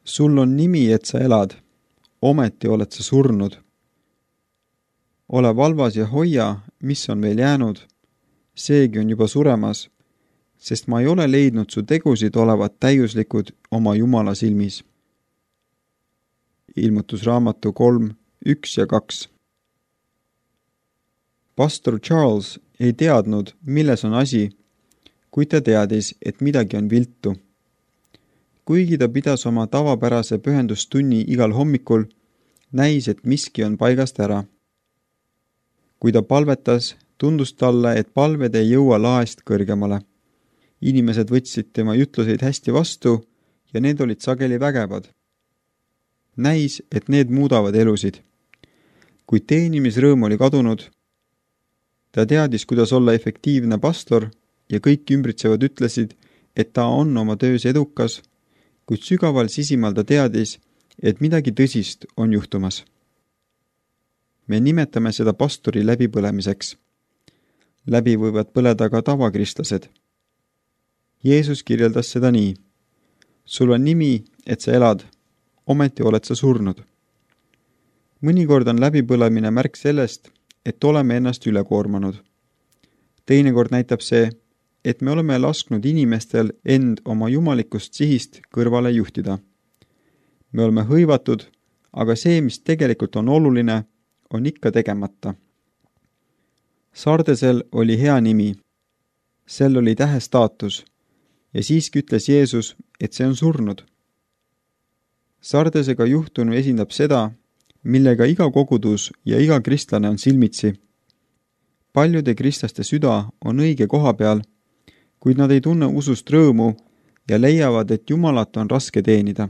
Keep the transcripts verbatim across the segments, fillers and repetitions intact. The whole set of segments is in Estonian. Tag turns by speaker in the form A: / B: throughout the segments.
A: Sul on nimi, et sa elad, ometi oled sa surnud. Ole valvas ja hoia, mis on veel jäänud, seegi on juba suremas, sest ma ei ole leidnud su tegusid olevat täiuslikud oma Jumala silmis. Ilmutusraamatu kolm, üks ja kaks. Pastor Charles ei teadnud, milles on asi, kuid ta teadis, et midagi on viltu. Kuigi ta pidas oma tavapärase pühendustunni igal hommikul, näis, et miski on paigast ära. Kui ta palvetas, tundus talle, et palved ei jõua laest kõrgemale. Inimesed võtsid tema jutluseid hästi vastu ja need olid sageli vägevad. Näis, et need muudavad elusid. Kui teenimisrõõm oli kadunud, ta teadis, kuidas olla efektiivne pastor ja kõik ümbritsevad ütlesid, et ta on oma töös edukas, kuid sügaval sisimal ta teadis, et midagi tõsist on juhtumas. Me nimetame seda pastori läbipõlemiseks. Läbi võivad põleda ka tavakristlased. Jeesus kirjeldas seda nii. Sul on nimi, et sa elad, ometi oled sa surnud. Mõnikord on läbipõlemine märk sellest, et oleme ennast üle koormanud. Teinekord näitab see, et me oleme lasknud inimestel end oma jumalikust sihist kõrvale juhtida. Me oleme hõivatud, aga see, mis tegelikult on oluline, on ikka tegemata. Sardesel oli hea nimi. Sel oli tähe staatus ja siiski ütles Jeesus, et see on surnud. Sardesega juhtunu esindab seda, millega iga kogudus ja iga kristlane on silmitsi. Paljude kristlaste süda on õige koha peal, kuid nad ei tunne usust rõõmu ja leiavad, et Jumalat on raske teenida.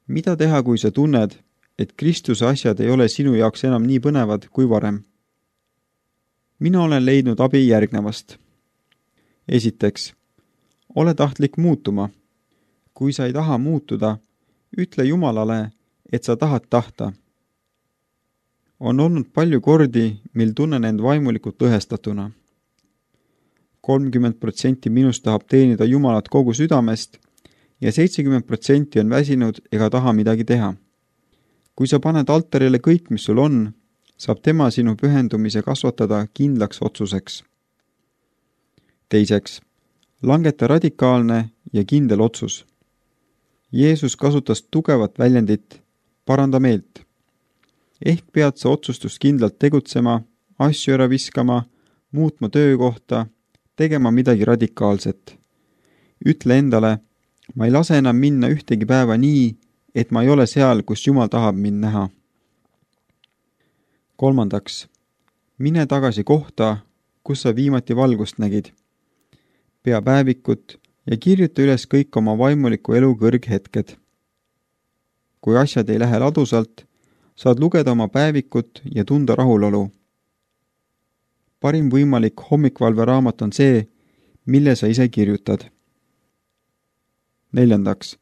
A: Mida teha, kui sa tunned, et Kristuse asjad ei ole sinu jaoks enam nii põnevad kui varem? Mina olen leidnud abi järgnevast. Esiteks, ole tahtlik muutuma. Kui sa ei taha muutuda, ütle Jumalale, et sa tahad tahta. On olnud palju kordi, mil tunnen end vaimulikult lõhestatuna. kolmkümmend protsenti minust tahab teenida Jumalat kogu südamest ja seitsekümmend protsenti on väsinud ega taha midagi teha. Kui sa paned altarile kõik, mis sul on, saab tema sinu pühendumise kasvatada kindlaks otsuseks. Teiseks, langeta radikaalne ja kindel otsus. Jeesus kasutas tugevat väljendit, paranda meelt. Ehk pead sa otsustust kindlalt tegutsema, asju ära viskama, muutma töökohta, tegema midagi radikaalset. Ütle endale, ma ei lase enam minna ühtegi päeva nii, et ma ei ole seal, kus Jumal tahab mind näha. Kolmandaks, mine tagasi kohta, kus sa viimati valgust nägid. Pea päevikut ja kirjuta üles kõik oma vaimuliku elu kõrghetked. Kui asjad ei lähe ladusalt, saad lugeda oma päevikut ja tunda rahulolu. Parim võimalik hommikvalveraamat on see, mille sa ise kirjutad. Neljandaks,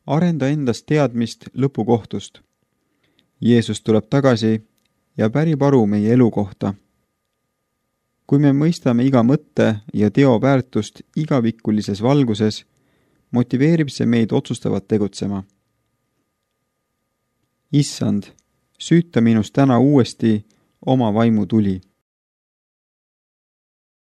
A: arenda endast teadmist lõpukohtust. Jeesus tuleb tagasi ja pärib aru meie elu kohta. Kui me mõistame iga mõtte ja teo väärtust igavikulises valguses, motiveerib see meid otsustavat tegutsema. Issand, süüta minust täna uuesti oma vaimu tuli.